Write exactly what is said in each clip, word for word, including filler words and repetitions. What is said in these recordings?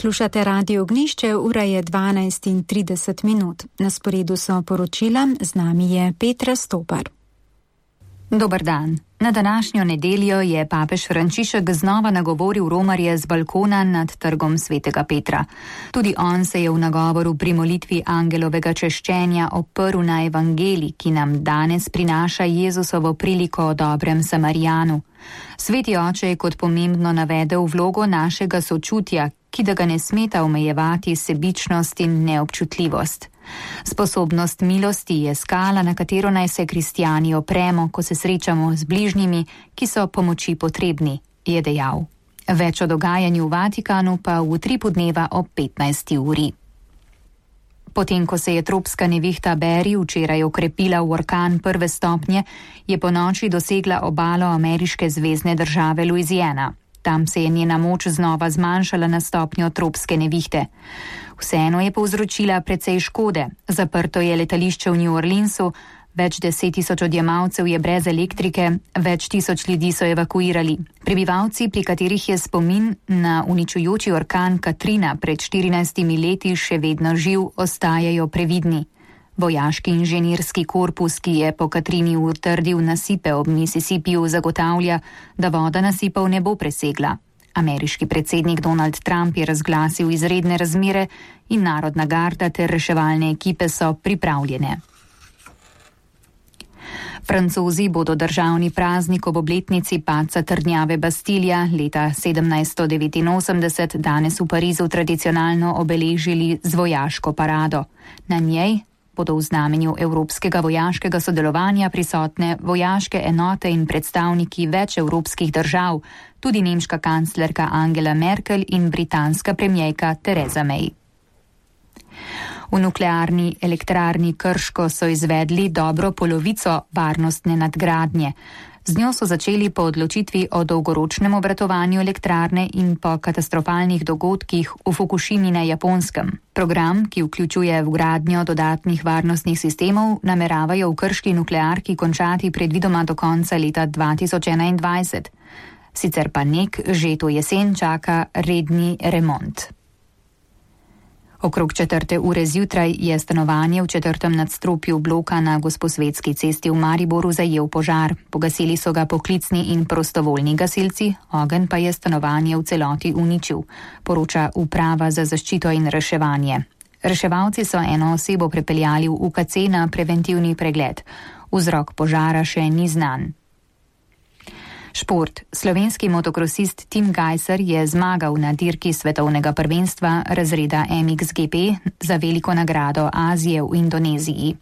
Slušate Radio Ognjišče, ura je dvanajst in trideset minut. Na sporedu so poročila, z nami je Petra Stopar. Dober dan. Na današnjo nedeljo je papež Frančišek znova nagovoril romarje z balkona nad trgom svetega Petra. Tudi on se je v nagovoru pri molitvi angelovega češčenja oprl na evangelij, ki nam danes prinaša Jezusovo priliko o dobrem Samarijanu. Sveti oče je kot pomembno navedel vlogo našega sočutja, ki da ga ne smeta omejevati sebičnost in neobčutljivost. Sposobnost milosti je skala, na katero naj se kristijani opremo, ko se srečamo z bližnjimi, ki so pomoči potrebni, je dejal. Več o dogajanju v Vatikanu pa v utripu dneva ob petnajsti uri. Potem, ko se je tropska nevihta Beri včeraj okrepila v orkan prve stopnje, je po noči dosegla obalo ameriške zvezne države Louisiana. Tam se je njena moč znova zmanjšala na stopnjo tropske nevihte. Vseeno je povzročila precej škode. Zaprto je letališče v New Orleansu, več deset tisoč odjemalcev je brez elektrike, več tisoč ljudi so evakuirali. Prebivalci, pri katerih je spomin na uničujoči orkan Katrina pred štirinajstimi leti še vedno živ, ostajajo previdni. Vojaški inženirski korpus, ki je po Katrini utrdil nasipe ob Mississippiju, zagotavlja, da voda nasipov ne bo presegla. Ameriški predsednik Donald Trump je razglasil izredne razmere in narodna garda ter reševalne ekipe so pripravljene. Francozi bodo državni praznik ob obletnici padca trdnjave Bastilja leta sedemnajststo devetinosemdeset danes v Parizu tradicionalno obeležili z vojaško parado. Na njej bodo v znamenju evropskega vojaškega sodelovanja prisotne vojaške enote in predstavniki več evropskih držav, tudi nemška kanclerka Angela Merkel in britanska premierka Theresa May. V nuklearni elektrarni Krško so izvedli dobro polovico varnostne nadgradnje. Z njo so začeli po odločitvi o dolgoročnem obratovanju elektrarne in po katastrofalnih dogodkih v Fukušimi na Japonskem. Program, ki vključuje vgradnjo dodatnih varnostnih sistemov, nameravajo v krški nuklearki končati predvidoma do konca leta dva tisoč enaindvajset. Sicer pa nek že to jesen čaka redni remont. Okrog četrte ure zjutraj je stanovanje v četrtem nadstropju bloka na Gosposvetski cesti v Mariboru zajel požar. Pogasili so ga poklicni in prostovoljni gasilci, ogenj pa je stanovanje v celoti uničil, poroča Uprava za zaščito in reševanje. Reševalci so eno osebo prepeljali v U K C na preventivni pregled. Vzrok požara še ni znan. Šport. Slovenski motokrosist Tim Gajser je zmagal na dirki svetovnega prvenstva razreda M X G P za veliko nagrado Azije v Indoneziji.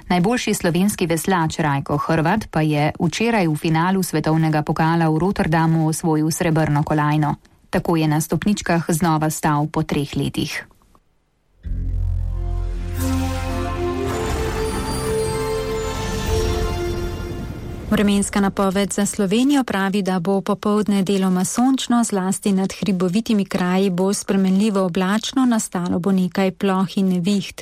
Najboljši slovenski veslač Rajko Hrvat pa je včeraj v finalu svetovnega pokala v Rotterdamu osvojil srebrno kolajno. Tako je na stopničkah znova stal po treh letih. Vremenska napoved za Slovenijo pravi, da bo popoldne deloma sončno, zlasti nad hribovitimi kraji bo spremenljivo oblačno, nastalo bo nekaj ploh in neviht.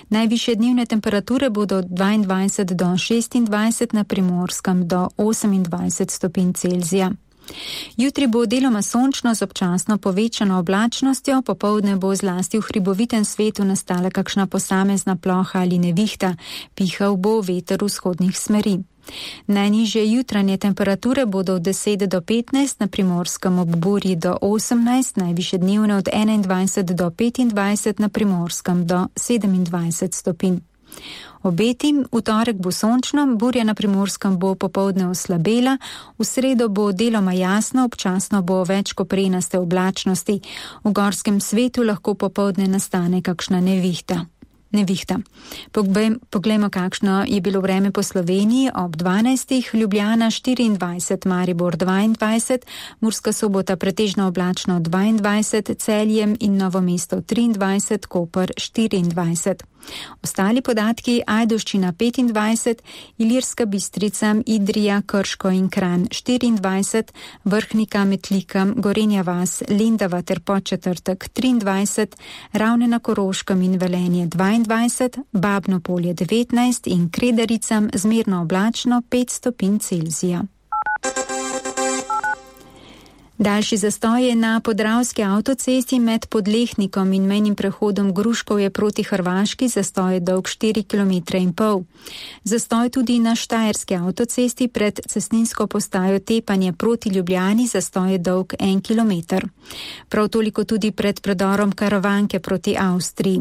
Najvišje dnevne temperature bodo dvaindvajset do šestindvajset, na Primorskem do osemindvajset stopinj Celzija. Jutri bo deloma sončno z občasno povečano oblačnostjo, popoldne bo zlasti v hribovitem svetu nastala kakšna posamezna ploha ali nevihta, pihal bo veter vzhodnih smeri. Najnižje jutranje temperature bodo od deset do petnajst, na Primorskem ob burji do osemnajst, najvišje dnevne od enaindvajset do petindvajset, na Primorskem do sedemindvajset stopinj. Obeti, v torek bo sončno, burja na Primorskem bo popoldne oslabela, v sredo bo deloma jasno, občasno bo več koprenaste oblačnosti. V gorskem svetu lahko popoldne nastane kakšna nevihta. Nevihta. Poglejmo, kakšno je bilo vreme po Sloveniji ob dvanajstih, Ljubljana štiriindvajset, Maribor dvaindvajset, Murska Sobota pretežno oblačno dvaindvajset, Celje in Novo mesto triindvajset, Koper štiriindvajset. Ostali podatki: Ajdovščina petindvajset, Ilirska Bistrica, Idrija, Krško in Kranj štiriindvajset, Vrhnika, Metlika, Gorenja vas, Lendava ter Podčetrtek triindvajset, Ravne na Koroškem in Velenje dvaindvajset, Babno Polje devetnajst in Kredericam zmerno oblačno pet stopinj Celzija. Daljši zastoj je na podravski avtocesti med Podlehnikom in mejnim prehodom Gruškovje proti Hrvaški, zastoj je dolg štiri kilometre in pol. Zastoj tudi na štajerski avtocesti pred cestninsko postajo Tepanje proti Ljubljani, zastoj je dolg en kilometer. Prav toliko tudi pred predorom Karavanke proti Avstriji.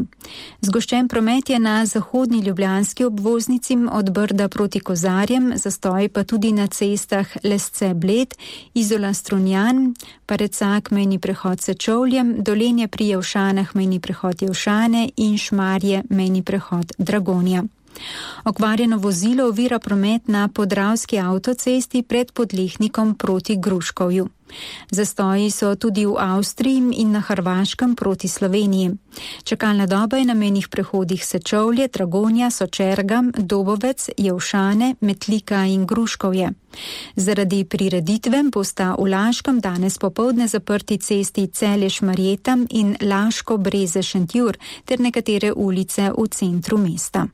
Zgoščen promet je na zahodni ljubljanski obvoznici od Brda proti Kozarjem, zastoj pa tudi na cestah Lesce-Bled, Izola-Strunjan, Parecak mejni prehod Sečovljem, Dolenje pri Jevšanah mejni prehod Jevšane in Šmarje mejni prehod Dragonja. Okvarjeno vozilo ovira promet na podravski avtocesti pred Podlehnikom proti Gruškovju. Zastoji so tudi v Avstriji in na Hrvaškem proti Sloveniji. Čakalna doba je na mejnih prehodih Sečovlje, Dragonja, Sočerga, Dobovec, Jevšane, Metlika in Gruškovje. Zaradi prireditve bosta v Laškem danes popoldne zaprti cesti Celje-Šmarjeta in Laško-Breze-Šentjur ter nekatere ulice v centru mesta.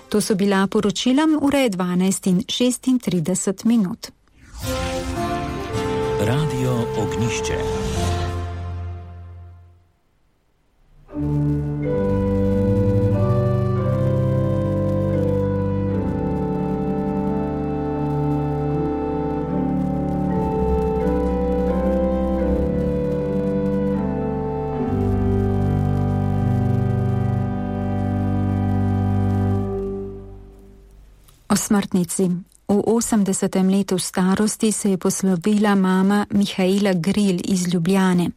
To so bila poročila, ura je dvanajst in šestintrideset minut. Radio Ognišče. O smrtnici. V osemdesetem letu starosti se je poslovila mama Mihaela Gril iz Ljubljane.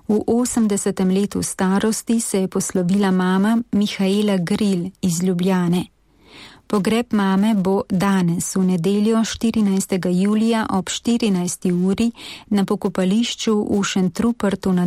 V osemdesetem letu starosti se je poslovila mama Mihaela Gril iz Ljubljane. Pogreb mame bo danes, v nedeljo štirinajstega julija ob štirinajsti uri na pokopališču v Šentrupertu na